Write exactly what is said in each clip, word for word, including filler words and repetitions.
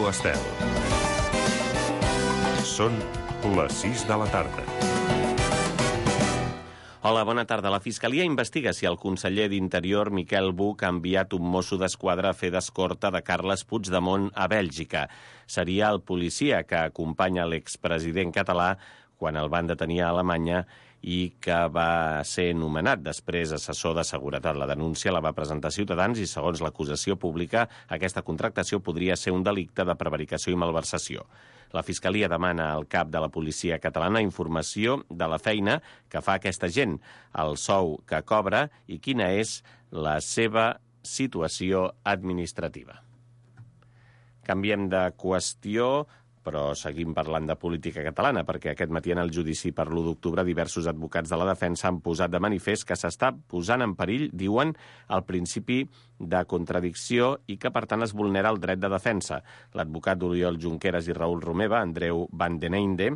Estel. Són les sis de la tarda. Hola, bona tarda. La Fiscalia investiga si el conseller d'Interior, Miquel Buch, ha enviat un mosso d'esquadra a fer d'escorta de Carles Puigdemont a Bèlgica. Seria el policia que acompanya l'expresident català quan el van detenir a Alemanya i que va ser nomenat després assessor de seguretat. La denúncia la va presentar Ciutadans i, segons l'acusació pública, aquesta contractació podria ser un delicte de prevaricació i malversació. La Fiscalia demana al cap de la policia catalana informació de la feina que fa aquesta gent, el sou que cobra i quina és la seva situació administrativa. Canviem de qüestió, però seguim parlant de política catalana, perquè aquest matí en el judici per l'u d'octubre diversos advocats de la defensa han posat de manifest que s'està posant en perill, diuen, el principi de contradicció i que, per tant, es vulnera el dret de defensa. L'advocat Oriol Junqueras i Raül Romeva, Andreu Van den Einde,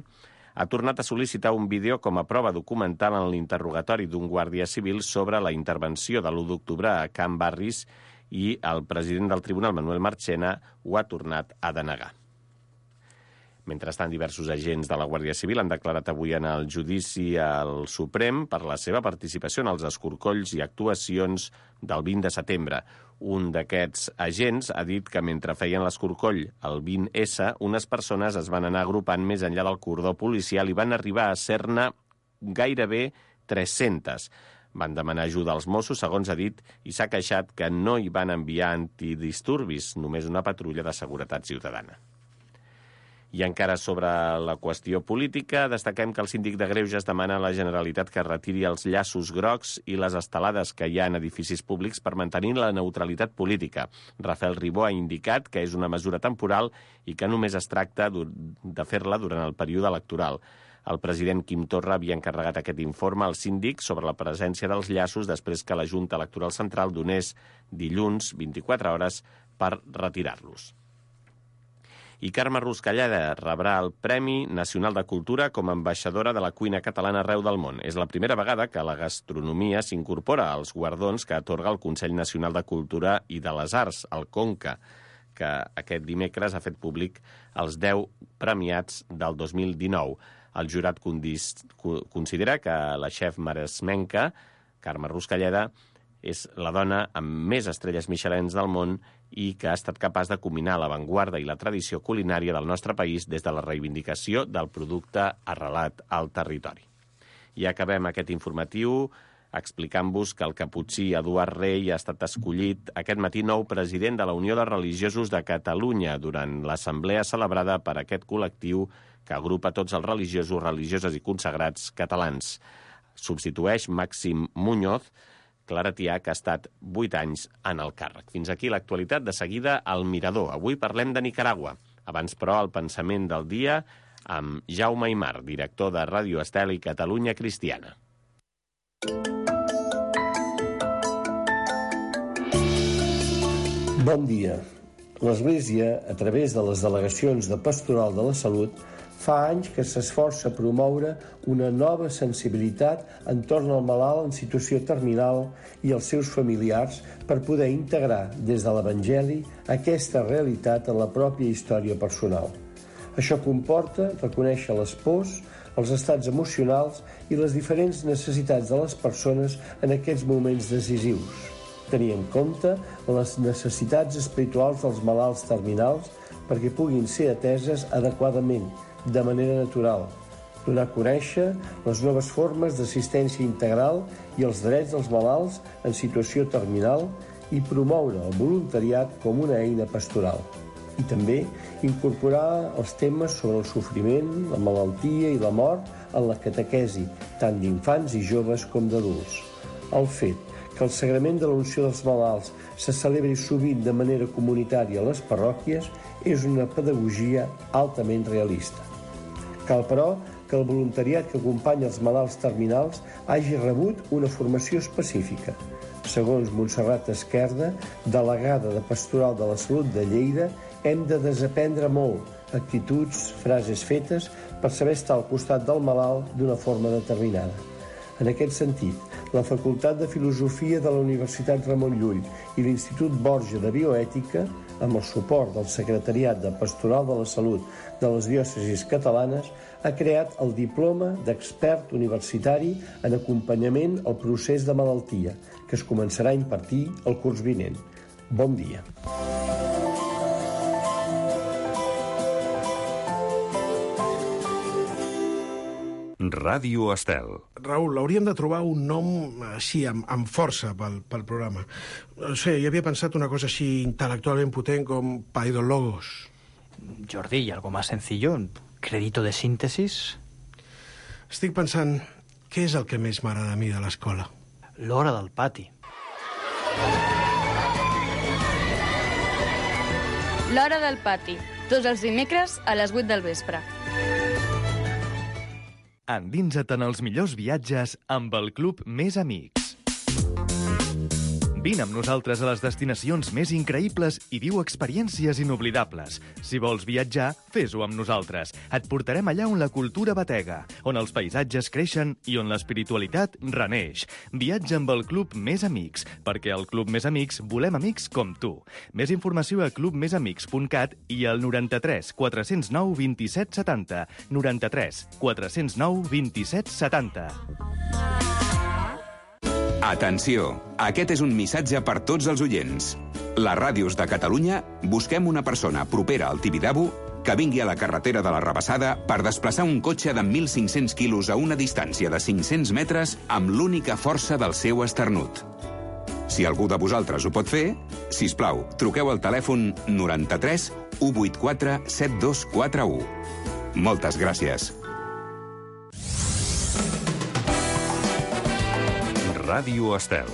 ha tornat a sol·licitar un vídeo com a prova documental en l'interrogatori d'un guàrdia civil sobre la intervenció de l'u d'octubre a Can Barris i el president del tribunal, Manuel Marchena, ho ha tornat a denegar. Mentrestant, diversos agents de la Guàrdia Civil han declarat avui en el judici al Suprem per la seva participació en els escorcolls i actuacions del vint de setembre. Un d'aquests agents ha dit que mentre feien l'escorcoll el vint essa, unes persones es van anar agrupant més enllà del cordó policial i van arribar a ser-ne gairebé tres-centes. Van demanar ajuda als Mossos, segons ha dit, i s'ha queixat que no hi van enviar antidisturbis, només una patrulla de seguretat ciutadana. I encara sobre la qüestió política, destaquem que el síndic de Greuges demana a la Generalitat que retiri els llaços grocs i les estelades que hi ha en edificis públics per mantenir la neutralitat política. Rafael Ribó ha indicat que és una mesura temporal i que només es tracta de fer-la durant el període electoral. El president Quim Torra havia encarregat aquest informe al síndic sobre la presència dels llaços després que la Junta Electoral Central donés dilluns vint-i-quatre hores per retirar-los. I Carme Ruscalleda rebrà el Premi Nacional de Cultura com a ambaixadora de la cuina catalana arreu del món. És la primera vegada que la gastronomia s'incorpora als guardons que atorga el Consell Nacional de Cultura i de les Arts, el CONCA, que aquest dimecres ha fet públic els deu premiats del dos mil dinou. El jurat considera que la xef maresmenca, Carme Ruscalleda, és la dona amb més estrelles Michelins del món i que ha estat capaç de combinar l'avantguarda i la tradició culinària del nostre país des de la reivindicació del producte arrelat al territori. I acabem aquest informatiu explicant-vos que el caputxí Eduard Rey ha estat escollit aquest matí nou president de la Unió de Religiosos de Catalunya durant l'assemblea celebrada per aquest col·lectiu que agrupa tots els religiosos, religioses i consagrats catalans. Substitueix Màxim Muñoz, claretià, que ha estat vuit anys en el càrrec. Fins aquí l'actualitat. De seguida, al Mirador. Avui parlem de Nicaragua. Abans, però, el pensament del dia amb Jaume Aymar, director de Ràdio Estel i Catalunya Cristiana. Bon dia. L'Església, a través de les delegacions de Pastoral de la Salut, fa anys que s'esforça a promoure una nova sensibilitat entorn al malalt en situació terminal i els seus familiars per poder integrar des de l'Evangeli aquesta realitat en la pròpia història personal. Això comporta reconèixer les pors, els estats emocionals i les diferents necessitats de les persones en aquests moments decisius. Tenir en compte les necessitats espirituals dels malalts terminals perquè puguin ser ateses adequadament, de manera natural, donar a conèixer les noves formes d'assistència integral i els drets dels malalts en situació terminal i promoure el voluntariat com una eina pastoral. I també incorporar els temes sobre el sofriment, la malaltia i la mort en la catequesi, tant d'infants i joves com d'adults. El fet que el sagrament de l'unció dels malalts se celebri sovint de manera comunitària a les parròquies és una pedagogia altament realista. Cal, però, que el voluntariat que acompanya els malalts terminals hagi rebut una formació específica. Segons Montserrat Esquerda, delegada de Pastoral de la Salut de Lleida, hem de desaprendre molt actituds, frases fetes per saber estar al costat del malalt d'una forma determinada. En aquest sentit, la Facultat de Filosofia de la Universitat Ramon Llull i l'Institut Borja de Bioètica amb el suport del Secretariat de Pastoral de la Salut de les diòcesis catalanes, ha creat el Diploma d'Expert Universitari en Acompanyament al Procés de Malaltia, que es començarà a impartir el curs vinent. Bon dia. Ràdio Estel. Raül, hauríem de trobar un nom així, amb, amb força pel, pel programa. No sé, jo havia pensat una cosa així intel·lectualment potent com Paidologos. Jordi, ¿y algo más sencillo? ¿Crédito de síntesis? Estic pensant, què és el que més m'agrada a mi de l'escola? L'hora del pati. L'hora del pati, tots els dimecres a les vuit del vespre. Endinsa't en els millors viatges amb el Club Més Amics. Vine amb nosaltres a les destinacions més increïbles i viu experiències inoblidables. Si vols viatjar, fes-ho amb nosaltres. Et portarem allà on la cultura batega, on els paisatges creixen i on l'espiritualitat reneix. Viatja amb el Club Més Amics, perquè al Club Més Amics volem amics com tu. Més informació a club més amics punt cat i al noranta-tres quatre zero nou vint-i-set setanta. noranta-tres quatre zero nou vint-i-set setanta. Atenció, aquest és un missatge per tots els oients. Les ràdios de Catalunya busquem una persona propera al Tibidabo que vingui a la carretera de la Rabassada per desplaçar un cotxe de mil cinc-cents quilos a una distància de cinc-cents metres amb l'única força del seu esternut. Si algú de vosaltres ho pot fer, sisplau, truqueu al telèfon noranta-tres u vuitanta-quatre set dos quatre u. Moltes gràcies. Ràdio Estel.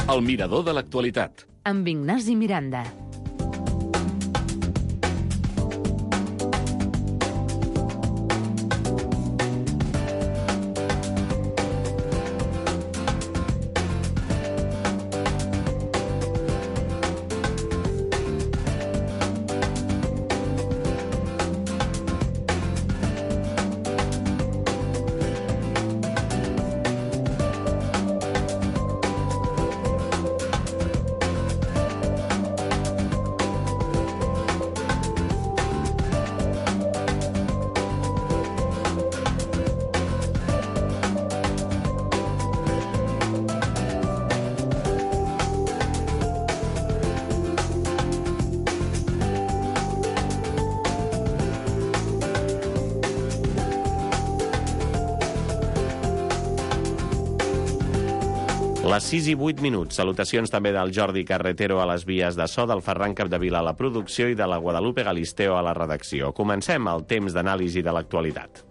El mirador de l'actualitat. Amb Ignasi Miranda. Les sis i vuit minuts. Salutacions també del Jordi Carretero a les vies de so, del Ferran Capdevila a la producció i de la Guadalupe Galisteo a la redacció. Comencem el temps d'anàlisi de l'actualitat.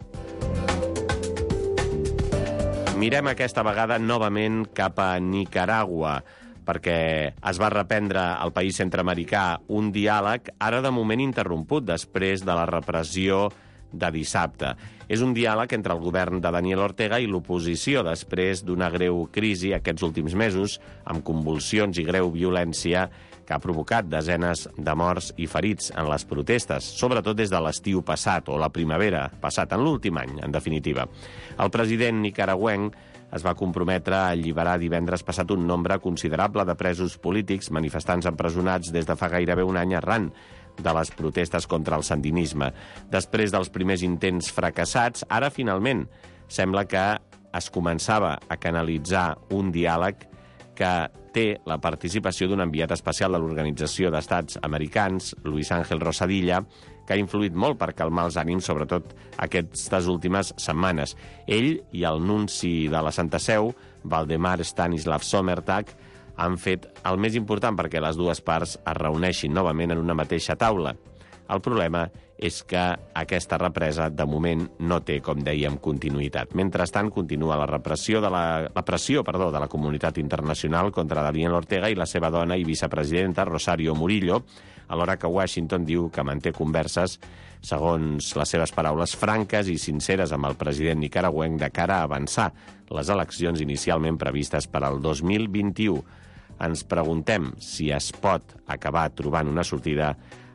Mirem aquesta vegada novament cap a Nicaragua, perquè es va reprendre al país centreamericà un diàleg, ara de moment interromput després de la repressió de dissabte. És un diàleg entre el govern de Daniel Ortega i l'oposició després d'una greu crisi aquests últims mesos, amb convulsions i greu violència que ha provocat desenes de morts i ferits en les protestes, sobretot des de l'estiu passat, o la primavera passat, en l'últim any, en definitiva. El president nicaragüenc es va comprometre a alliberar divendres passat un nombre considerable de presos polítics, manifestants empresonats des de fa gairebé un any arran de les protestes contra el sandinisme. Després dels primers intents fracassats, ara finalment sembla que es començava a canalitzar un diàleg que té la participació d'un enviat especial de l'Organització d'Estats Americans, Luis Ángel Rosadilla, que ha influït molt per calmar els ànims, sobretot aquestes últimes setmanes. Ell i el nunci de la Santa Seu, Valdemar Stanislav Sommertag, han fet el més important perquè les dues parts es reuneixin novament en una mateixa taula. El problema és que aquesta represa, de moment, no té, com dèiem, continuïtat. Mentrestant, continua la repressió de la, la pressió perdó, de la comunitat internacional contra Daniel Ortega i la seva dona i vicepresidenta, Rosario Murillo, alhora que Washington diu que manté converses, segons les seves paraules, franques i sinceres amb el president nicaragüenc de cara a avançar les eleccions inicialment previstes per al dos mil vint-i-u. Ens preguntem si es pot acabar trobant una sortida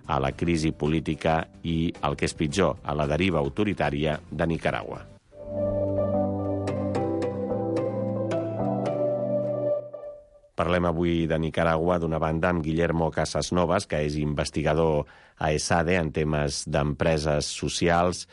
a la crisi política i, el que és pitjor, a la deriva autoritària de Nicaragua. Parlem avui de Nicaragua, d'una banda, amb Guillermo Casasnovas, que és investigador a ESADE en temes d'empreses socials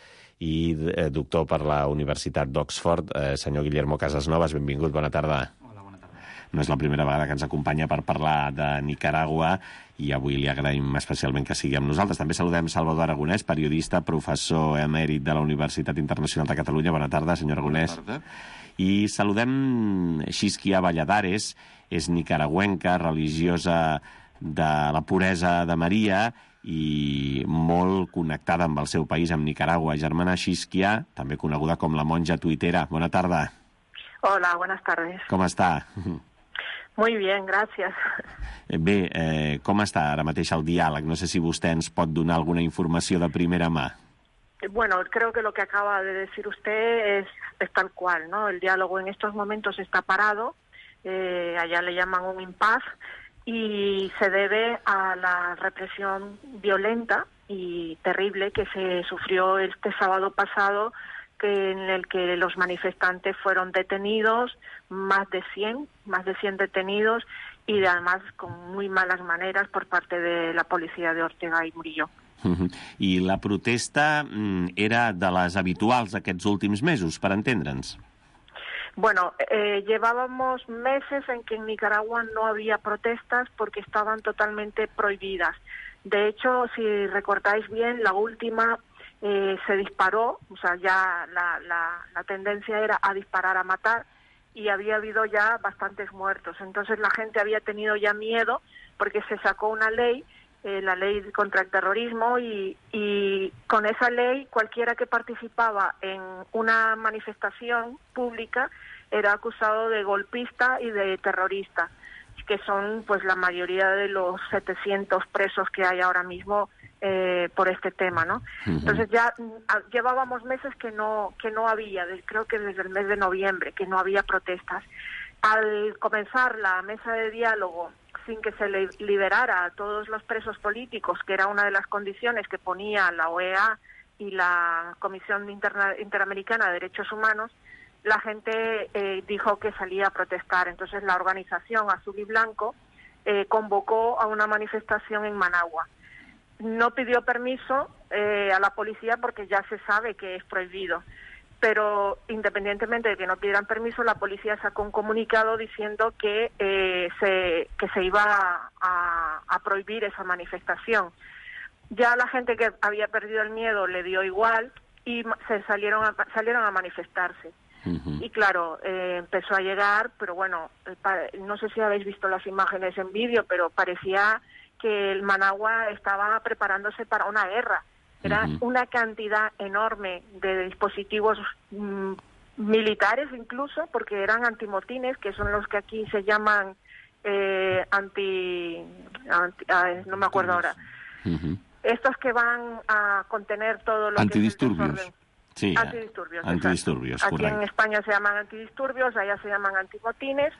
i doctor per la Universitat d'Oxford. Eh, senyor Guillermo Casasnovas, benvingut, bona tarda. Hola, bona tarda. No és la primera vegada que ens acompanya per parlar de Nicaragua i avui li agraïm especialment que sigui amb nosaltres. També saludem Salvador Aragonès, periodista, professor emèrit de la Universitat Internacional de Catalunya. Bona tarda, senyor Aragonès. Bona tarda. I saludem Xisquia Valladares, és nicaragüenca, religiosa de la puresa de Maria i molt connectada amb el seu país, amb Nicaragua. Germana Xisquia, també coneguda com la monja tuitera. Bona tarda. Hola, buenas tardes. Com està? Muy bien, gracias. Bé, eh, com està ara mateix el diàleg? No sé si vostè ens pot donar alguna informació de primera mà. Bueno, creo que lo que acaba de decir usted es, es tal cual, ¿no? El diálogo en estos momentos está parado, eh, allá le llaman un impasse, y se debe a la represión violenta y terrible que se sufrió este sábado pasado, que en el que los manifestantes fueron detenidos, más de cien, más de cien detenidos, y además con muy malas maneras por parte de la policía de Ortega y Murillo. Uh-huh. I la protesta mm, era de les habituals aquests últims mesos, per entendre'ns? Bueno, eh, llevábamos meses en que en Nicaragua no había protestas porque estaban totalmente prohibidas. De hecho, si recordáis bien, la última eh, se disparó, o sea, ya la, la, la tendencia era a disparar, a matar, y había habido ya bastantes muertos. Entonces la gente había tenido ya miedo porque se sacó una ley, eh, la ley contra el terrorismo, y, y con esa ley cualquiera que participaba en una manifestación pública era acusado de golpista y de terrorista, que son pues la mayoría de los setecientos presos que hay ahora mismo eh, por este tema, ¿no? Uh-huh. Entonces ya a, llevábamos meses que no que no había, de, creo que desde el mes de noviembre, que no había protestas. Al comenzar la mesa de diálogo sin que se le liberara a todos los presos políticos, que era una de las condiciones que ponía la O E A y la Comisión Interna- Interamericana de Derechos Humanos, la gente eh, dijo que salía a protestar. Entonces la organización Azul y Blanco eh, convocó a una manifestación en Managua. No pidió permiso eh, a la policía porque ya se sabe que es prohibido. Pero independientemente de que no pidieran permiso, la policía sacó un comunicado diciendo que eh, se que se iba a, a, a prohibir esa manifestación. Ya la gente que había perdido el miedo le dio igual y se salieron a, salieron a manifestarse. Uh-huh. Y claro, eh, empezó a llegar, pero bueno, no sé si habéis visto las imágenes en vídeo, pero parecía que el Managua estaba preparándose para una guerra. Era uh-huh. una cantidad enorme de dispositivos mm, militares incluso, porque eran antimotines, que son los que aquí se llaman eh, anti, anti ah, no me acuerdo ahora. Uh-huh. Estos que van a contener todo lo antidisturbios. que es el Sí, antidisturbios. Antidisturbios, Aquí correcto. en España se llaman antidisturbios, allá se llaman antimotines,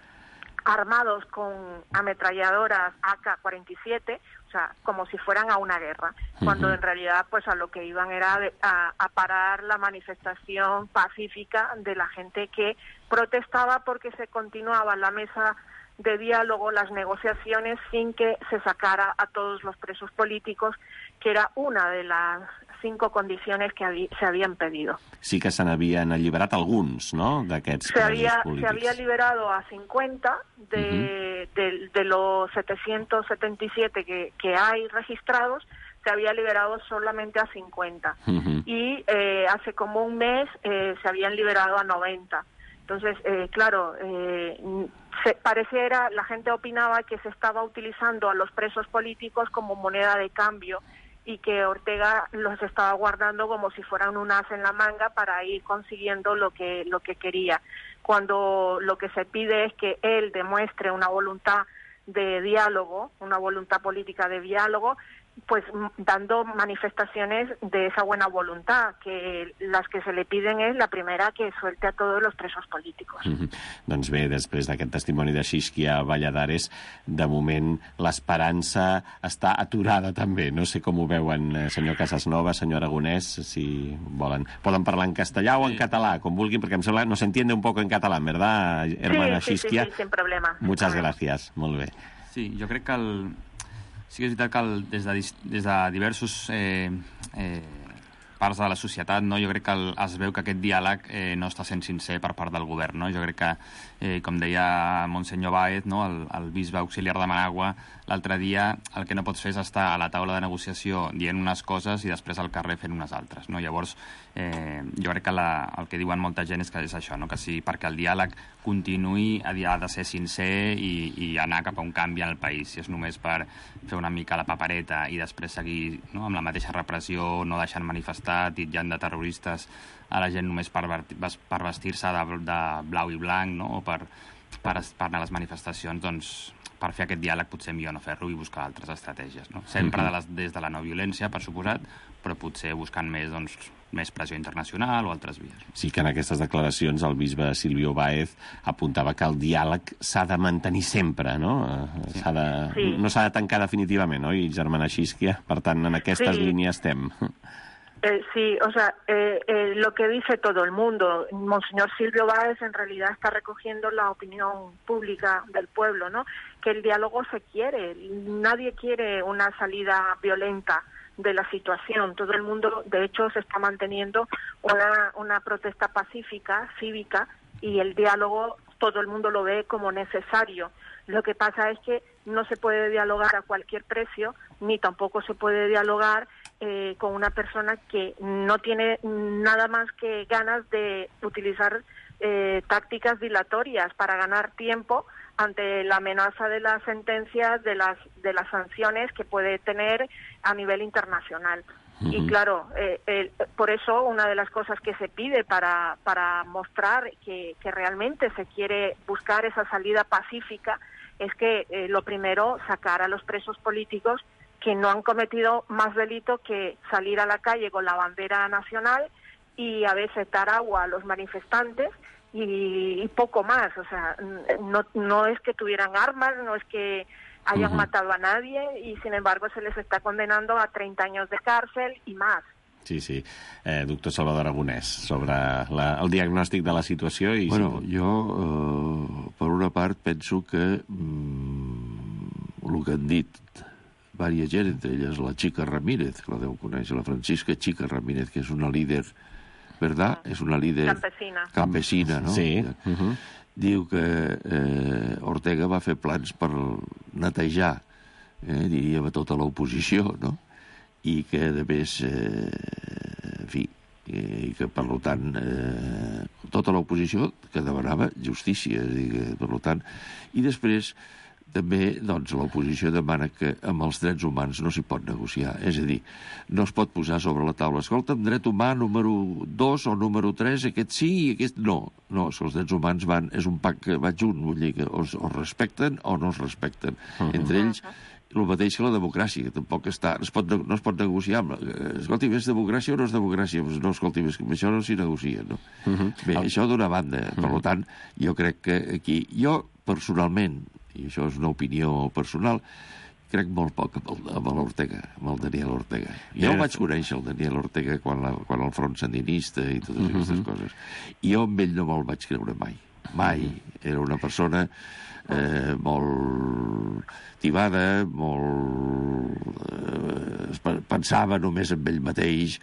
armados con ametralladoras A K cuarenta y siete, o sea, como si fueran a una guerra, cuando uh-huh. en realidad pues a lo que iban era de, a, a parar la manifestación pacífica de la gente que protestaba porque se continuaba la mesa de diálogo, las negociaciones, sin que se sacara a todos los presos políticos, que era una de las cinco condiciones que habí, se habían pedido. Sí que se n'havien alliberat alguns, no?, d'aquests presos había, polítics. Se había liberado a cincuenta de, uh-huh. de, de los setecientos setenta y siete que, que hay registrados, se había liberado solamente a cincuenta. Uh-huh. Y eh, hace como un mes eh, se habían liberado a noventa. Entonces, eh, claro, eh, se, pareciera, la gente opinaba que se estaba utilizando a los presos políticos como moneda de cambio y que Ortega los estaba guardando como si fueran un as en la manga para ir consiguiendo lo que lo que quería, cuando lo que se pide es que él demuestre una voluntad de diálogo, una voluntad política de diálogo, pues dando manifestaciones de esa buena voluntad, que las que se le piden es la primera, que suelte a todos los presos políticos. Mm-hmm. Doncs bé, després d'aquest testimoni de Xisquia Valladares, de moment l'esperança està aturada també. No sé com ho veuen, senyor Casasnova, senyor Aragonès, si volen. Poden parlar en castellà o en català, com vulguin, perquè em sembla no se entiende un poco en català, ¿verdad, hermana sí, Xisquia? Sí, sí, sí, sin problema. Muchas gracias, molt bé. Sí, jo crec que el... sí que és veritat que el, des, de, des de diversos eh, eh, parts de la societat, no, jo crec que el, es veu que aquest diàleg eh, no està sent sincer per part del govern. No? Jo crec que, eh, com deia Monsenyor Báez, no, el, el bisbe auxiliar de Managua, l'altre dia el que no pots fer és estar a la taula de negociació dient unes coses i després al carrer fent unes altres. No? Llavors, eh, jo crec que la, el que diuen molta gent és que és això, no? Que sí, perquè el diàleg continuï ha de ser sincer i, i anar cap a un canvi en el país. Si és només per fer una mica la papereta i després seguir, no, amb la mateixa repressió, no deixant manifestar, titllant de terroristes a la gent només per, per vestir-se de, de blau i blanc, no? O per, per, per anar a les manifestacions, doncs per fer aquest diàleg potser millor no fer-lo i buscar altres estratègies. No? Sempre de les, des de la no violència, per suposat, però potser buscant més, doncs, més pressió internacional o altres vies. Sí que en aquestes declaracions el bisbe Silvio Báez apuntava que el diàleg s'ha de mantenir sempre, no? Sí. S'ha de, sí. No s'ha de tancar definitivament, oi, germana Xisquia? Per tant, en aquestes sí. línies estem. Eh, sí, o sea, eh, eh, lo que dice todo el mundo, Monseñor Silvio Báez en realidad está recogiendo la opinión pública del pueblo, ¿no? Que el diálogo se quiere, nadie quiere una salida violenta de la situación, todo el mundo, de hecho, se está manteniendo una, una protesta pacífica, cívica, y el diálogo todo el mundo lo ve como necesario. Lo que pasa es que no se puede dialogar a cualquier precio, ni tampoco se puede dialogar eh, con una persona que no tiene nada más que ganas de utilizar eh, tácticas dilatorias para ganar tiempo ante la amenaza de las sentencias, de las de las sanciones que puede tener a nivel internacional. Uh-huh. Y claro, eh, eh, por eso una de las cosas que se pide para, para mostrar que, que realmente se quiere buscar esa salida pacífica es que eh, lo primero, sacar a los presos políticos que no han cometido más delito que salir a la calle con la bandera nacional y a veces dar agua a los manifestantes y, y poco más. O sea, no, no es que tuvieran armas, no es que hayan uh-huh. matado a nadie y sin embargo se les está condenando a treinta años de cárcel y más. Sí, sí. Eh, doctor Salvador Aragonès, sobre la, el diagnòstic de la situació... I bueno, si... jo, eh, per una part, penso que mm, el que han dit diversa gent, entre elles la Chica Ramírez, que la deu conèixer, la Francisca Chica Ramírez, que és una líder, ¿verdad? És una líder... Campesina. Campesina, no? Sí. Uh-huh. Diu que eh, Ortega va fer plans per netejar, eh, diríem, a tota l'oposició, no? I que, a més, eh, en fi, i que, per tant, eh, tota l'oposició que demanava justícia, és a dir, que, per tant, i després també, doncs, l'oposició demana que amb els drets humans no s'hi pot negociar, és a dir, no es pot posar sobre la taula, escolta'm, dret humà número dos o número tres, aquest sí i aquest no. No, els drets humans van, és un pack que va junt, vull dir que o es respecten o no es respecten. Uh-huh. Entre ells, el mateix que la democràcia, que tampoc està, es pot, no es pot negociar amb, escolti, és democràcia o no és democràcia? Pues no, escolti, amb això no s'hi negocia, no? Uh-huh. Bé, el... això d'una banda, uh-huh. per tant, jo crec que aquí, jo personalment, i això és una opinió personal, crec molt poc amb, el, amb l'Ortega, amb el Daniel Ortega. Jo el vaig conèixer, el Daniel Ortega, quan, la, quan el front sandinista i totes uh-huh. aquestes coses. I jo amb ell no me'l vaig creure mai. Mai. Era una persona eh, molt tibada, molt... Eh, pensava només en ell mateix,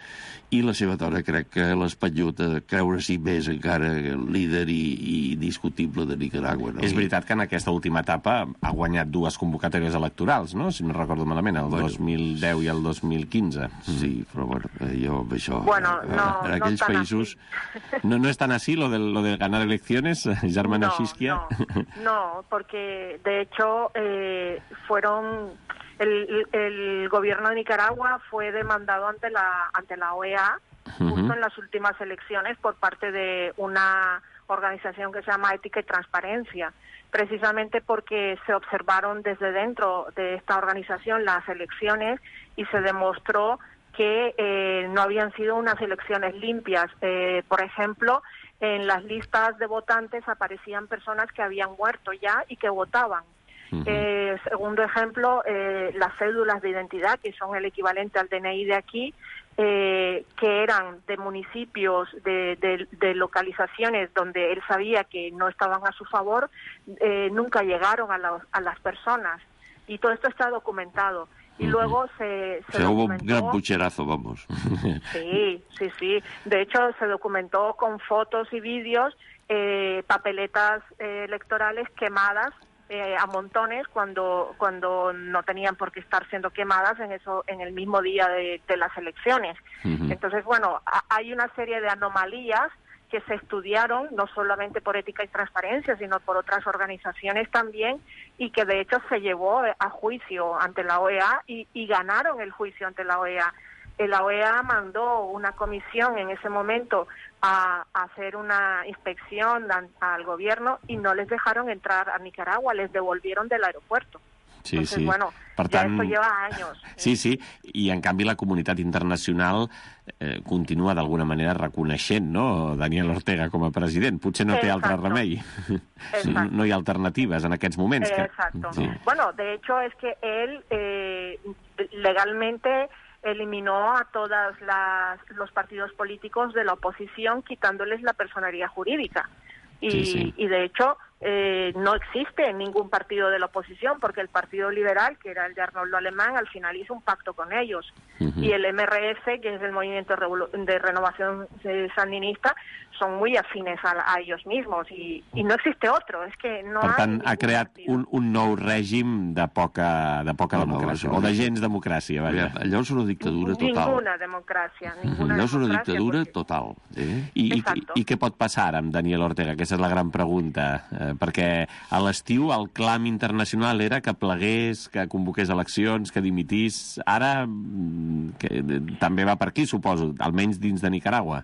i la seva dona crec que l'espanyut a creure-s'hi més encara líder i, i indiscutible de Nicaragua. No? És veritat que en aquesta última etapa ha guanyat dues convocatòries electorals, no? Si no recordo malament, el bueno, dos mil deu i el dos mil quinze. Sí, però bueno, jo amb això... Bueno, no, en aquells no països... No, no es tan así lo de, lo de ganar elecciones, germana no, Xisquia? No, no, porque de hecho eh, fueron... El, el gobierno de Nicaragua fue demandado ante la ante la O E A justo uh-huh. en las últimas elecciones por parte de una organización que se llama Ética y Transparencia, precisamente porque se observaron desde dentro de esta organización las elecciones y se demostró que eh, no habían sido unas elecciones limpias. Eh, por ejemplo, en las listas de votantes aparecían personas que habían muerto ya y que votaban. Uh-huh. Eh, segundo ejemplo, eh, las cédulas de identidad, que son el equivalente al D N I de aquí, eh, que eran de municipios, de, de, de localizaciones donde él sabía que no estaban a su favor, eh, nunca llegaron a, la, a las personas. Y todo esto está documentado. Y luego se, se o sea, hubo documentó... un gran pucherazo, vamos. Sí, sí, sí. De hecho, se documentó con fotos y vídeos eh, papeletas eh, electorales quemadas eh, a montones cuando cuando no tenían por qué estar siendo quemadas en eso en el mismo día de, de las elecciones. Uh-huh. Entonces, bueno, a, hay una serie de anomalías que se estudiaron no solamente por Ética y Transparencia, sino por otras organizaciones también, y que de hecho se llevó a juicio ante la O E A y, y ganaron el juicio ante la O E A. La O E A mandó una comisión en ese momento a, a hacer una inspección a, al gobierno y no les dejaron entrar a Nicaragua, les devolvieron del aeropuerto. Sí, Entonces, sí. bueno, per ja tant, esto lleva años. Sí, sí, i en canvi la comunitat internacional eh, continua d'alguna manera reconeixent, no?, Daniel Ortega com a president. Potser no té Exacto. altre remei. Sí, no hi ha alternatives en aquests moments. Que... Exacto. Sí. Bueno, de hecho es que él eh, legalmente eliminó a todos los partidos políticos de la oposición, quitándoles la personería jurídica. Y, sí, sí. y de hecho eh, no existe ningún partido de la oposición, porque el Partido Liberal, que era el de Arnoldo Alemán, al final hizo un pacto con ellos. Uh-huh. Y el M R S, que es el Movimiento de Renovación Sandinista, son muy afines a, a ellos mismos, y, y no existe otro. Es que no per tant, hay ha creat un, un nou règim de poca, de poca no, democràcia, no, o de gens democràcia, vaja. Allò és una dictadura total. Ninguna democràcia. Ninguna allò és una democràcia, dictadura perquè... total. Eh? I, i, I què pot passar ara amb Daniel Ortega? Aquesta és la gran pregunta. Eh, perquè a l'estiu el clam internacional era que plegués, que convoqués eleccions, que dimitís. Ara que, també va per aquí, suposo, almenys dins de Nicaragua.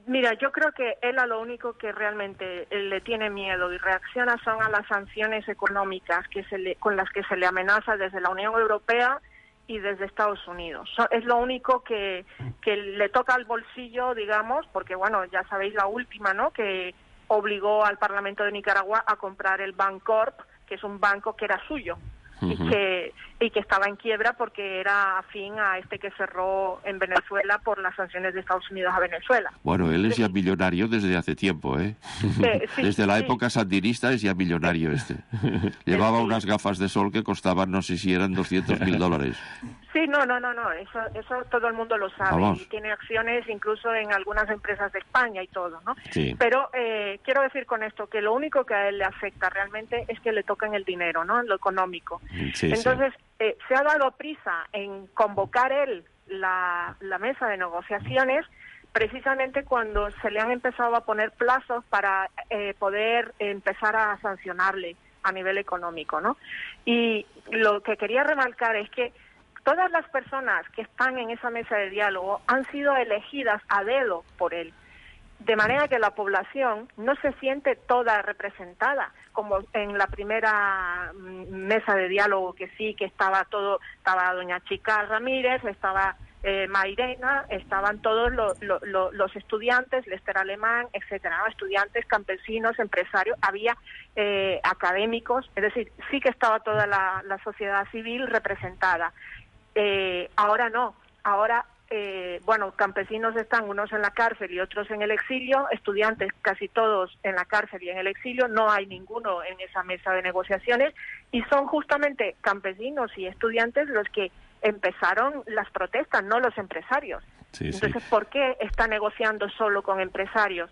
Mira, yo creo que él a lo único que realmente le tiene miedo y reacciona son a las sanciones económicas que se le, con las que se le amenaza desde la Unión Europea y desde Estados Unidos. So, es lo único que, que le toca al bolsillo, digamos, porque, bueno, ya sabéis la última, ¿no?, que obligó al Parlamento de Nicaragua a comprar el Bancorp, que es un banco que era suyo. Uh-huh. y, que, y que estaba en quiebra porque era afín a este que cerró en Venezuela por las sanciones de Estados Unidos a Venezuela. Bueno, él es ya millonario desde hace tiempo, ¿eh? Eh, sí, desde la sí. época sandinista es ya millonario este. Llevaba sí. unas gafas de sol que costaban, no sé si eran doscientos mil dólares. Sí, no, no, no, no, eso, eso todo el mundo lo sabe. Vamos. Y tiene acciones incluso en algunas empresas de España y todo, ¿no? Sí. Pero eh, quiero decir con esto que lo único que a él le afecta realmente es que le tocan el dinero, ¿no?, en lo económico. Sí, Entonces, sí. Eh, se ha dado prisa en convocar él la, la mesa de negociaciones precisamente cuando se le han empezado a poner plazos para eh, poder empezar a sancionarle a nivel económico, ¿no? Y lo que quería remarcar es que todas las personas que están en esa mesa de diálogo han sido elegidas a dedo por él, de manera que la población no se siente toda representada, como en la primera mesa de diálogo, que sí, que estaba todo, estaba doña Chica Ramírez, estaba eh, Mairena, estaban todos lo, lo, lo, los estudiantes, Lester Alemán, etcétera, ¿no? Estudiantes, campesinos, empresarios, había eh, académicos, es decir, sí que estaba toda la, la sociedad civil representada. Eh, ahora no, ahora Eh, bueno, campesinos están unos en la cárcel y otros en el exilio, estudiantes casi todos en la cárcel y en el exilio, no hay ninguno en esa mesa de negociaciones, y son justamente campesinos y estudiantes los que empezaron las protestas, no los empresarios. Sí, Entonces, sí. ¿por qué está negociando solo con empresarios?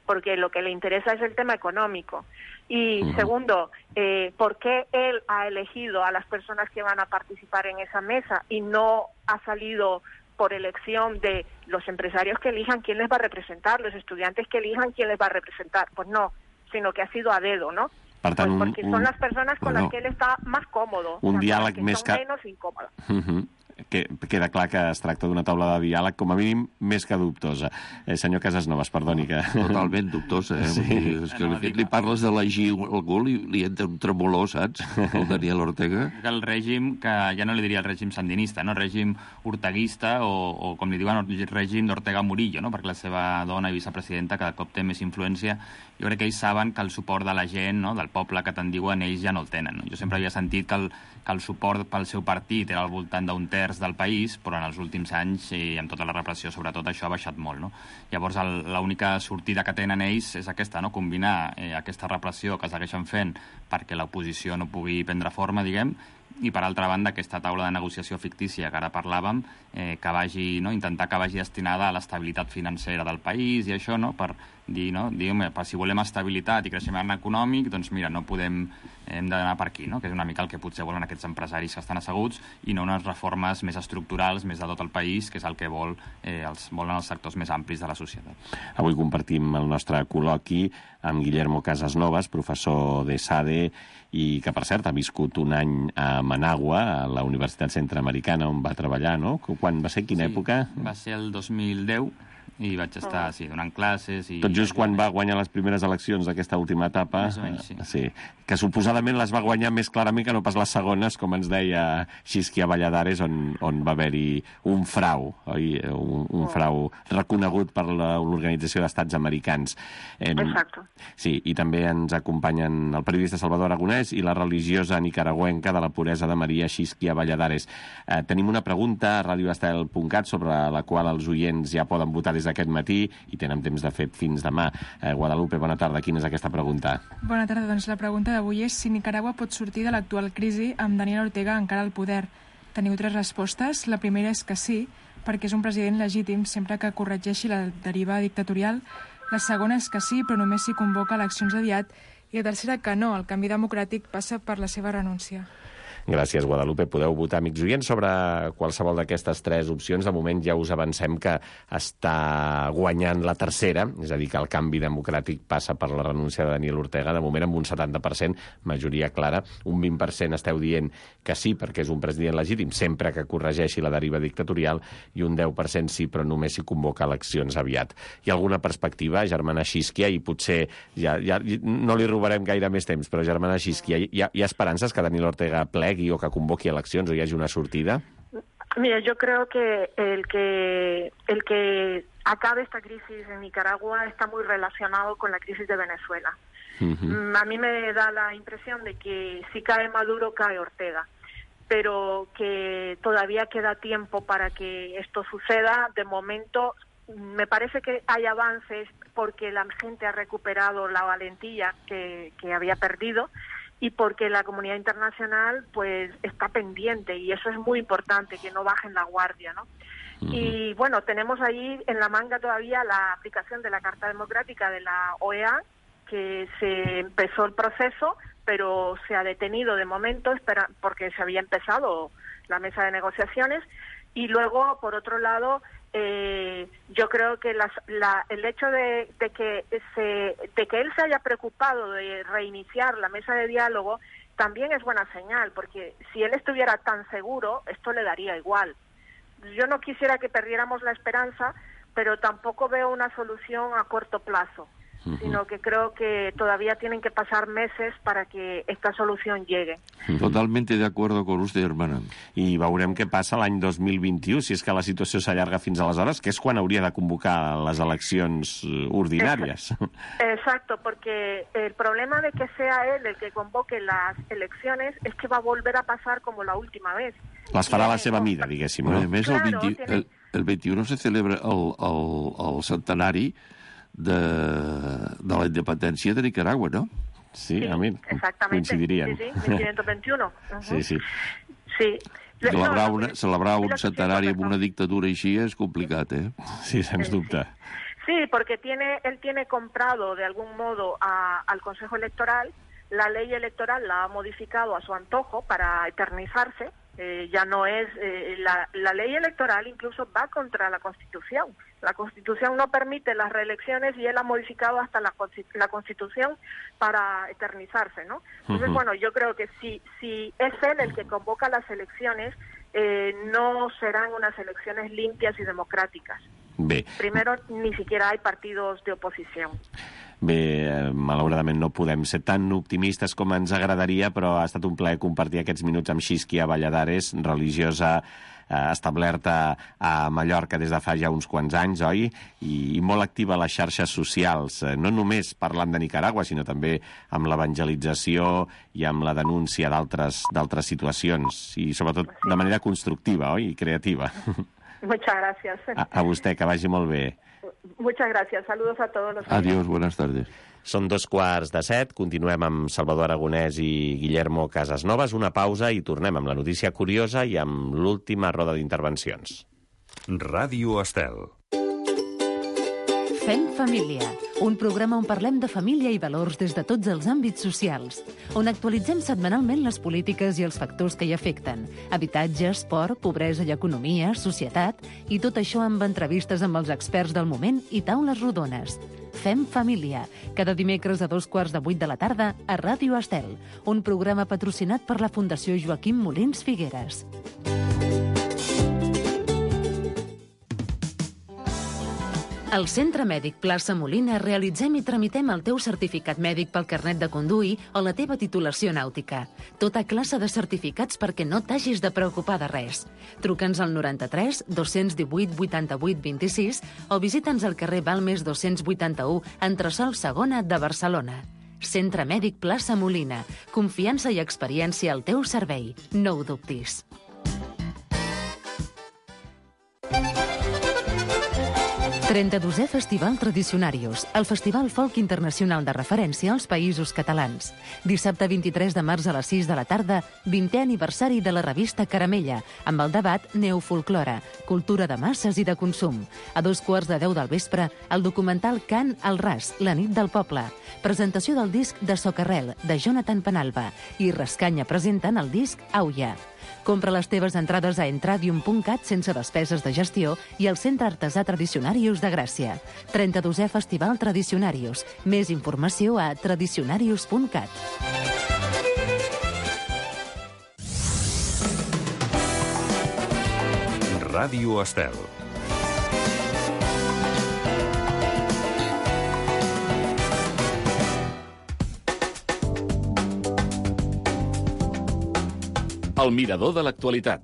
Porque lo que le interesa es el tema económico. Y uh-huh. segundo, eh, ¿por qué él ha elegido a las personas que van a participar en esa mesa y no ha salido por elección de los empresarios que elijan quién les va a representar, los estudiantes que elijan quién les va a representar? Pues no, sino que ha sido a dedo, ¿no? Per tant, pues porque un, son un, las personas con bueno, las que él está más cómodo. Un o sea, diàleg que més son que... menos incómodas. Uh-huh. que queda clar que es tracta d'una taula de diàleg, com a mínim, més que dubtosa. Eh, senyor Casasnovas, perdoni que... Totalment dubtosa, eh? Sí. Dir, és que no, li, li parles d'elegir algú, li, li entra un tremolor, saps? El Daniel Ortega. El règim, que ja no li diria el règim sandinista, no? Règim orteguista, o, o com li diuen, el règim d'Ortega Murillo, no? Perquè la seva dona i vicepresidenta cada cop té més influència. Jo crec que ells saben que el suport de la gent, no? Del poble que tant diuen, ells ja no el tenen. No? Jo sempre havia sentit que el, que el suport pel seu partit era al voltant d'un terç del país, però en els últims anys, i amb tota la repressió, sobretot, això ha baixat molt. No? Llavors, l'única sortida que tenen ells és aquesta, no? Combinar eh, aquesta repressió que segueixen fent perquè l'oposició no pugui prendre forma, diguem, i, per altra banda, aquesta taula de negociació fictícia que ara parlàvem, eh, que vagi, no? intentar que vagi destinada a l'estabilitat financera del país i això, no? Per dir, no? Diguem, per si volem estabilitat i creixement econòmic, doncs mira, no podem, hem d'anar per aquí, no? Que és una mica el que potser volen aquests empresaris que estan asseguts i no unes reformes més estructurals, més de tot el país, que és el que vol, eh, els, volen els sectors més amplis de la societat. Avui compartim el nostre col·loqui amb Guillermo Casasnovas, professor de SADE, i que, per cert, ha viscut un any a Managua, a la Universitat Centreamericana, on va treballar, no? Quan va ser? Quina sí, època? Va ser el dos mil deu, i vaig estar, sí, donant classes... I... Tot just quan va guanyar les primeres eleccions d'aquesta última etapa, més o menys, sí. sí, que suposadament les va guanyar més clarament que no pas les segones, com ens deia Xisquia Valladares, on, on va haver-hi un frau, oi? Un, un frau reconegut per l'Organització d'Estats Americans. Eh, Exacte. Sí, i també ens acompanyen el periodista Salvador Aragonès i la religiosa nicaragüenca de la puresa de Maria, Xisquia Valladares. Eh, tenim una pregunta a radio estel punt cat sobre la qual els oients ja poden votar des d'aquest matí i tenen temps de fet fins demà. Eh, Guadalupe, bona tarda. Quina és aquesta pregunta? Bona tarda. Doncs la pregunta d'avui és si Nicaragua pot sortir de l'actual crisi amb Daniel Ortega encara al poder. Teniu tres respostes. La primera és que sí, perquè és un president legítim sempre que corregeixi la deriva dictatorial. La segona és que sí, però només si convoca eleccions aviat. I la tercera que no, el canvi democràtic passa per la seva renúncia. Gràcies, Guadalupe. Podeu votar, amics oients, sobre qualsevol d'aquestes tres opcions. De moment ja us avancem que està guanyant la tercera, és a dir, que el canvi democràtic passa per la renúncia de Daniel Ortega, de moment amb un setanta per cent, majoria clara. Un vint per cent esteu dient que sí, perquè és un president legítim, sempre que corregeixi la deriva dictatorial, i un deu per cent sí, però només si convoca eleccions aviat. Hi ha alguna perspectiva, germana Xisquia, i potser ja, ja no li robarem gaire més temps, però germana Xisquia, hi ha, hi ha esperances que Daniel Ortega plegui o que convoqui eleccions o hi hagi una sortida? Mira, yo creo que el que el que acabe esta crisis en Nicaragua está muy relacionado con la crisis de Venezuela. Uh-huh. A mí me da la impresión de que si cae Maduro, cae Ortega, pero que todavía queda tiempo para que esto suceda. De momento, me parece que hay avances porque la gente ha recuperado la valentía que, que había perdido, y porque la comunidad internacional pues está pendiente, y eso es muy importante, que no bajen la guardia, ¿no? Uh-huh. Y bueno, tenemos ahí en la manga todavía la aplicación de la Carta Democrática de la O E A, que se empezó el proceso, pero se ha detenido de momento espera, porque se había empezado la mesa de negociaciones. Y luego, por otro lado, eh, yo creo que las, la, el hecho de, de, que se, de que él se haya preocupado de reiniciar la mesa de diálogo también es buena señal, porque si él estuviera tan seguro, esto le daría igual. Yo no quisiera que perdiéramos la esperanza, pero tampoco veo una solución a corto plazo, uh-huh. sino que creo que todavía tienen que pasar meses para que esta solución llegue. Totalmente de acuerdo con usted, hermana. I veurem què passa l'any dos mil vint-i-u, si és que la situació s'allarga fins aleshores, que és quan hauria de convocar les eleccions ordinàries. Exacto, porque el problema de que sea él el que convoque las elecciones es que va a volver a pasar como la última vez. Les farà a la seva mida, diguéssim. No? A més, el, vint, el, el vint-i-u se celebra el, el, el centenari de, de la independència de Nicaragua, ¿no? Sí, sí, a mi coincidiríem. Sí, sí, mil quinientos veintiuno. Uh-huh. Sí, sí. Sí. Celebrar, una, celebrar un centenari amb una dictadura així és complicat, eh? Sí, sens dubte. Sí, porque tiene, él tiene comprado de algún modo a, al Consejo Electoral. La ley electoral la ha modificado a su antojo para eternizarse. Eh, ya no es eh, la, la ley electoral incluso va contra la Constitución. La Constitución no permite las reelecciones y él ha modificado hasta la, la Constitución para eternizarse, ¿no? Entonces, uh-huh. bueno, yo creo que si si es él el que convoca las elecciones, eh, no serán unas elecciones limpias y democráticas. Bé. Primero, ni siquiera hay partidos de oposición. Bé, eh, malauradament no podem ser tan optimistes com ens agradaria, però ha estat un plaer compartir aquests minuts amb Xisquia Valladares, religiosa eh, establerta a Mallorca des de fa ja uns quants anys, oi? I, i molt activa a les xarxes socials, eh, no només parlant de Nicaragua, sinó també amb l'evangelització i amb la denúncia d'altres d'altres situacions, i sobretot de manera constructiva, oi? I creativa. Muchas gracias. A, a vostè, que vagi molt bé. Muchas gracias. Saludos a todos los... Adiós, buenas tardes. Són dos quarts de set, continuem amb Salvador Aragonès i Guillermo Casasnovas, una pausa i tornem amb la notícia curiosa i amb l'última roda d'intervencions. Ràdio Estel. Fem família, un programa on parlem de família i valors des de tots els àmbits socials, on actualitzem setmanalment les polítiques i els factors que hi afecten, habitatge, esport, pobresa i economia, societat, i tot això amb entrevistes amb els experts del moment i taules rodones. Fem família, cada dimecres a dos quarts de vuit de la tarda a Ràdio Estel, un programa patrocinat per la Fundació Joaquim Molins Figueres. Al Centre Mèdic Plaça Molina realitzem i tramitem el teu certificat mèdic pel carnet de conduir o la teva titulació nàutica. Tota classe de certificats perquè no t'hagis de preocupar de res. Truca'ns al noranta-tres dos-cents divuit vuitanta-vuit vint-i-sis o visita'ns al carrer Balmes dos-cents vuitanta-u, entresòl segona de Barcelona. Centre Mèdic Plaça Molina. Confiança i experiència al teu servei. No ho dubtis. trenta-dosè Festival Tradicionarius, el festival folk internacional de referència als països catalans. Dissabte vint-i-tres de març a les sis de la tarda, vintè aniversari de la revista Caramella, amb el debat Neofolklore, cultura de masses i de consum. A dos quarts de deu del vespre, el documental Cant al Ras, la nit del poble. Presentació del disc de Socarrel, de Jonathan Penalba, i Rascanya presenten el disc Auia. Compra les teves entrades a entradium punt cat sense despeses de gestió i al Centre Artesà Tradicionarius de Gràcia. trenta-dosè Festival Tradicionarius. Més informació a tradicionarius punt cat. Ràdio Estel. El mirador de l'actualitat.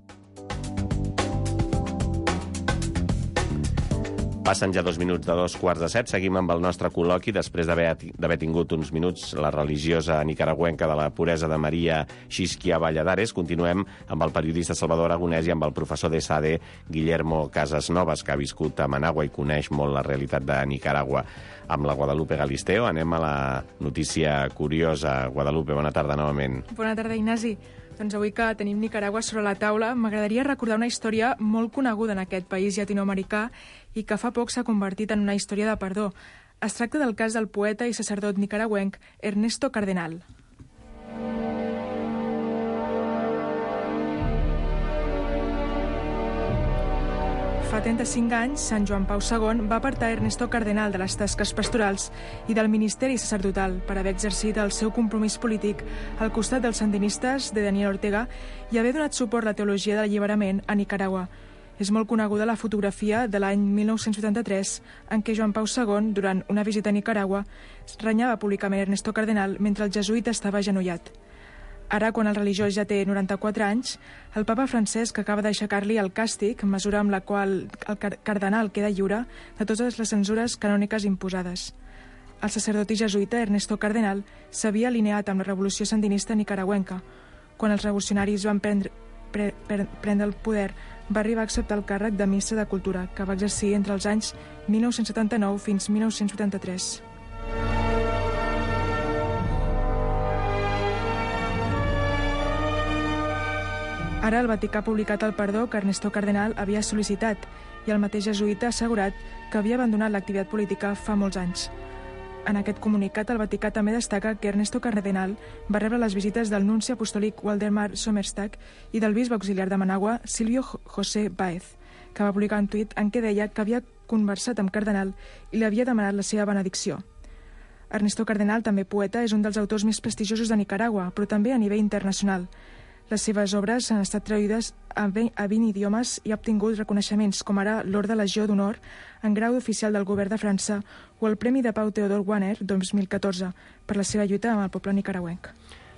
Passen ja dos minuts de dos quarts de set. Seguim amb el nostre col·loqui després d'haver tingut uns minuts la religiosa nicaragüenca de la puresa de Maria, Xisquia Valladares. Continuem amb el periodista Salvador Aragonès i amb el professor de S A D E, Guillermo Casasnovas, que ha viscut a Managua i coneix molt la realitat de Nicaragua. Amb la Guadalupe Galisteo anem a la notícia curiosa. Guadalupe, bona tarda novament. Bona tarda, Ignasi. Doncs avui que tenim Nicaragua sobre la taula, m'agradaria recordar una història molt coneguda en aquest país llatinoamericà i que fa poc s'ha convertit en una història de perdó. Es tracta del cas del poeta i sacerdot nicaragüenc Ernesto Cardenal. Fa trenta-cinc anys, Sant Joan Pau segon va apartar Ernesto Cardenal de les tasques pastorals i del ministeri sacerdotal per haver exercit el seu compromís polític al costat dels sandinistes de Daniel Ortega i haver donat suport a la teologia de l'alliberament a Nicaragua. És molt coneguda la fotografia de l'any mil nou-cents vuitanta-tres en què Joan Pau segon, durant una visita a Nicaragua, renyava públicament Ernesto Cardenal mentre el jesuïta estava agenollat. Ara, quan el religiós ja té noranta-quatre anys, el papa Francesc acaba d'aixecar-li el càstig, mesura amb la qual el cardenal queda lliure de totes les censures canòniques imposades. El sacerdot i jesuïta Ernesto Cardenal s'havia alineat amb la revolució sandinista nicaragüenca. Quan els revolucionaris van prendre, pre, pre, prendre el poder, va arribar a acceptar el càrrec de ministre de Cultura, que va exercir entre els anys mil nou-cents setanta-nou fins mil nou-cents vuitanta-tres. Ara el Vaticà ha publicat el perdó que Ernesto Cardenal havia sol·licitat i el mateix jesuïta ha assegurat que havia abandonat l'activitat política fa molts anys. En aquest comunicat, el Vaticà també destaca que Ernesto Cardenal va rebre les visites del nunci apostòlic Waldemar Sommerstag i del bisbe auxiliar de Managua, Silvio José Báez, que va publicar un tuit en què deia que havia conversat amb Cardenal i li havia demanat la seva benedicció. Ernesto Cardenal, també poeta, és un dels autors més prestigiosos de Nicaragua, però també a nivell internacional. Les seves obres han estat traduïdes a vint idiomes i ha obtingut reconeixements com ara l'Orde Legió d'Honor en grau d'oficial del govern de França o el Premi de Pau Teodor Wanner dos mil catorze per la seva lluita amb el poble nicaragüenc.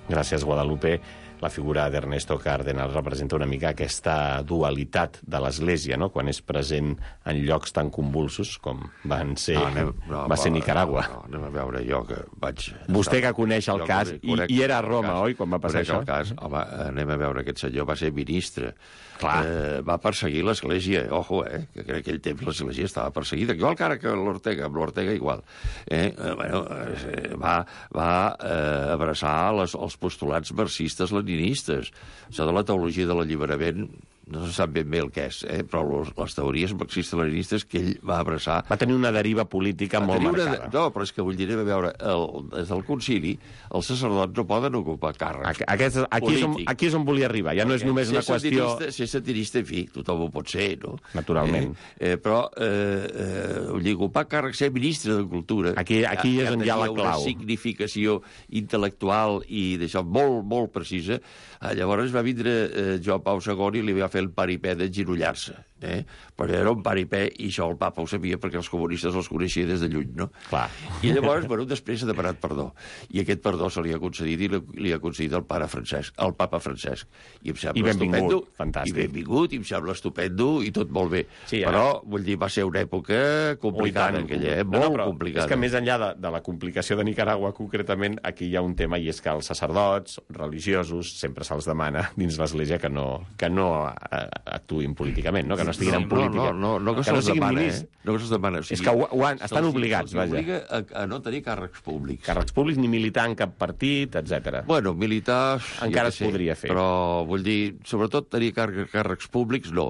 Gràcies, Guadalupe. La figura d'Ernesto Cardenal representa una mica aquesta dualitat de l'Església, no?, quan és present en llocs tan convulsos com van ser, no, anem, no, va ser Nicaragua. No, no, anem a veure, jo que vaig... Vostè que coneix el cas, i, i era a Roma, oi, quan va passar això? El cas, home, anem a veure, aquest senyor va ser ministre. Eh, va perseguir l'Església, ojo, eh, que en aquell temps l'Església estava perseguida, igual que ara que l'Ortega, amb l'Ortega igual. Eh, eh, bueno, eh, va va eh, abraçar les, els postulats marxistes leninistes. Això de la teologia de l'alliberament no se sap ben bé el que és, eh? Però les, les teories marxistes-leninistes que ell va abraçar... Va tenir una deriva política va molt marcada. Una, no, però és que vull dir, a veure, el, des del concili, els sacerdots no poden ocupar càrrecs Aquest, aquí, és on, aquí és on volia arribar, ja no és només una qüestió... Ser satirista, en fi, tothom ho pot ser, no? Naturalment. Eh, eh, però, eh, eh, vull dir, ocupar càrrecs, ser ministre de Cultura... Aquí, aquí és on hi ha la clau. Una significació intel·lectual i d'això molt, molt precisa. Eh, llavors va vindre eh, Joan Pau segon i li va fer el paripé d'enginollar-se. Eh? Però era un paripé i això el papa ho sabia perquè els comunistes els coneixia des de lluny, no? Clar. I llavors, bueno, després ha demanat perdó. I aquest perdó se li ha concedit i li ha concedit el pare Francesc, el papa Francesc. I em sembla I benvingut, estupendo. fantàstic. I benvingut, i em sembla estupendo i tot molt bé. Sí, però, vull dir, va ser una època complicada, aquella, eh? Molt no, no, complicada. És que més enllà de, de la complicació de Nicaragua, concretament, aquí hi ha un tema, i és que els sacerdots religiosos sempre se'ls demana dins l'Església que no, que no actuïn políticament, no? Que no estiguin no, en política. No, no, no, no que, que se'ls no demana, eh? No que se'ls demana. O sigui, és que ho, ho han, estan obligats, vaja. Se'ls obliga a, a no tenir càrrecs públics. Càrrecs públics, ni militar en cap partit, etcètera. Bueno, militar... Encara es podria fer. Però, vull dir, sobretot tenir càrrecs públics, no.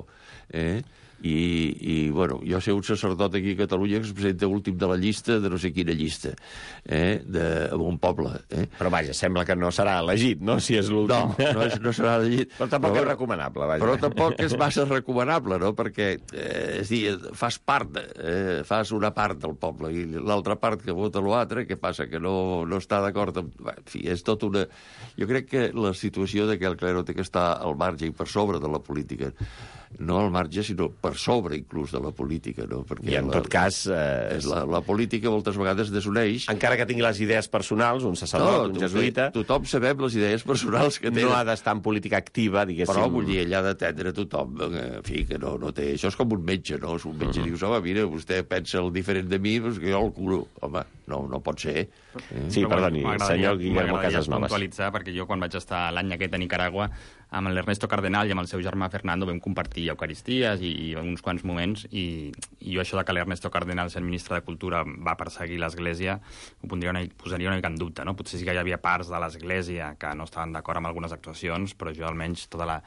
Eh? I, i, bueno, jo sé un sacerdot aquí a Catalunya que es presenta últim de la llista de no sé quina llista, eh, de, en un poble. Eh? Però vaja, sembla que no serà elegit, no?, si és l'últim. No, no, és, no serà elegit. Però tampoc però, és recomanable, vaja. Però tampoc és massa recomanable, no?, perquè, eh, és dir, fas part, eh, fas una part del poble i l'altra part que vota l'altre, que passa que no, no està d'acord amb... En fi, és tot una... Jo crec que la situació de que el clero té que estar al marge i per sobre de la política, no al marge, sinó per sobre inclús de la política, no? Perquè I en la, tot cas... Eh, és la, la política moltes vegades desuneix. Encara que tingui les idees personals, un sacerdot, no, un jesuïta... Tothom sabem les idees personals que té. No ha d'estar en política activa, diguéssim... Però, vull dir, ella ha d'atendre tothom, en fi, que no, no té... Això és com un metge, no? És un metge, uh -huh. dius, home, mira, vostè pensa el diferent de mi, doncs que jo el curo. Home, no, no pot ser. Eh? Sí, perdoni, senyor Guillermo Casasnovas. Puntualitzar, perquè jo quan vaig estar l'any aquest a Nicaragua, amb l'Ernesto Cardenal i amb el seu germà Fernando vam compartir eucaristies i, i uns quants moments, i, i jo això de que l'Ernesto Cardenal, sent ministre de Cultura, va perseguir l'Església, ho pondria una, posaria una mica en dubte, no? Potser sí que hi havia parts de l'Església que no estaven d'acord amb algunes actuacions, però jo almenys tota la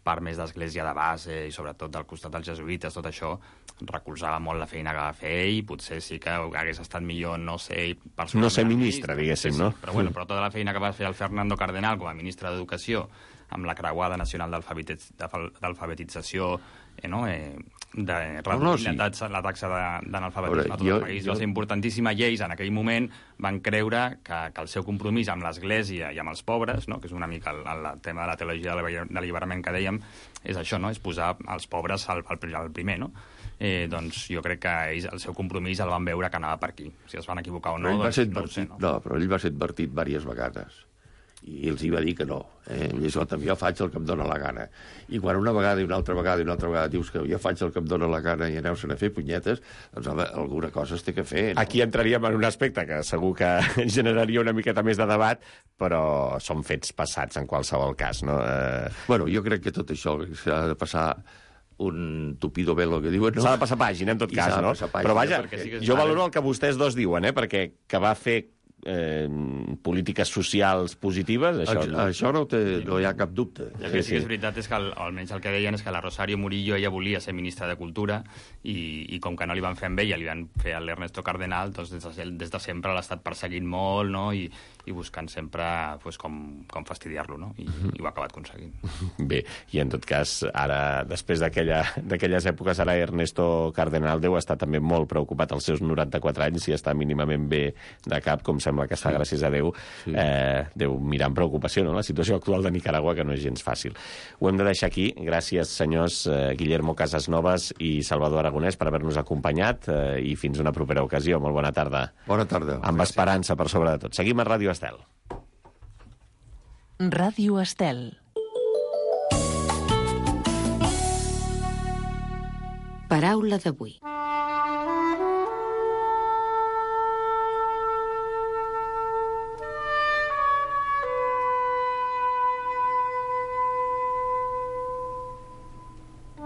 part més d'Església de base i sobretot del costat dels jesuïtes, tot això recolzava molt la feina que va fer i potser sí que hagués estat millor no ser no ser ministre, diguéssim, no? Però, bueno, però tota la feina que va fer el Fernando Cardenal com a ministre d'Educació amb la creuada nacional d'alfabetització, eh, no? eh, de reduir no, no, sí. la taxa, la taxa d'analfabetisme a tot jo, el país. Jo... Va ser importantíssima. Lleis en aquell moment van creure que, que el seu compromís amb l'Església i amb els pobres, no? Que és una mica el, el tema de la teologia de l'alliberament que dèiem, és això, no? És posar els pobres al, al, al primer, no? Eh, doncs jo crec que ells, el seu compromís el van veure que anava per aquí. Si es van equivocar o no, doncs no ho sé. No? no, però ell va ser advertit diverses vegades i els hi va dir que no. Eh? I això també jo faig el que em dóna la gana. I quan una vegada i una altra vegada i una altra vegada dius que jo faig el que em dóna la gana i aneu-se'n a fer punyetes, doncs home, alguna cosa es té que fer. No? Aquí entraríem en un aspecte que segur que generaria una miqueta més de debat, però són fets passats en qualsevol cas, no? Eh... Bueno, jo crec que tot això s'ha de passar un tupido velo que diuen, no? S'ha de passar pàgina, en tot cas, no? Pàgina, però vaja, sí jo valoro el que vostès dos diuen, eh? Perquè que va fer Eh, polítiques socials positives, això, això no, això no, té, no hi ha cap dubte. El que sí que és veritat és que, el, almenys el que deien és que la Rosario Murillo ella volia ser ministra de Cultura i, i com que no li van fer amb ella, li van fer a l'Ernesto Cardenal, doncs des de, des de sempre l'ha estat perseguint molt, no? I, i buscant sempre pues, com, com fastidiar-lo, no? I, i ho ha acabat aconseguint. Bé, i en tot cas, ara, després d'aquelles èpoques, ara Ernesto Cardenal deu estar també molt preocupat als seus noranta-quatre anys, si està mínimament bé de cap, com s'ha sembla que està, gràcies a Déu, eh, deu mirar amb preocupació, no?, la situació actual de Nicaragua, que no és gens fàcil. Ho hem de deixar aquí. Gràcies, senyors eh, Guillermo Casasnovas i Salvador Aragonès, per haver-nos acompanyat, eh, i fins una propera ocasió. Molt bona tarda. Bona tarda. Amb gràcies. Esperança per sobre de tot. Seguim a Ràdio Estel. Ràdio Estel. Paraula d'avui.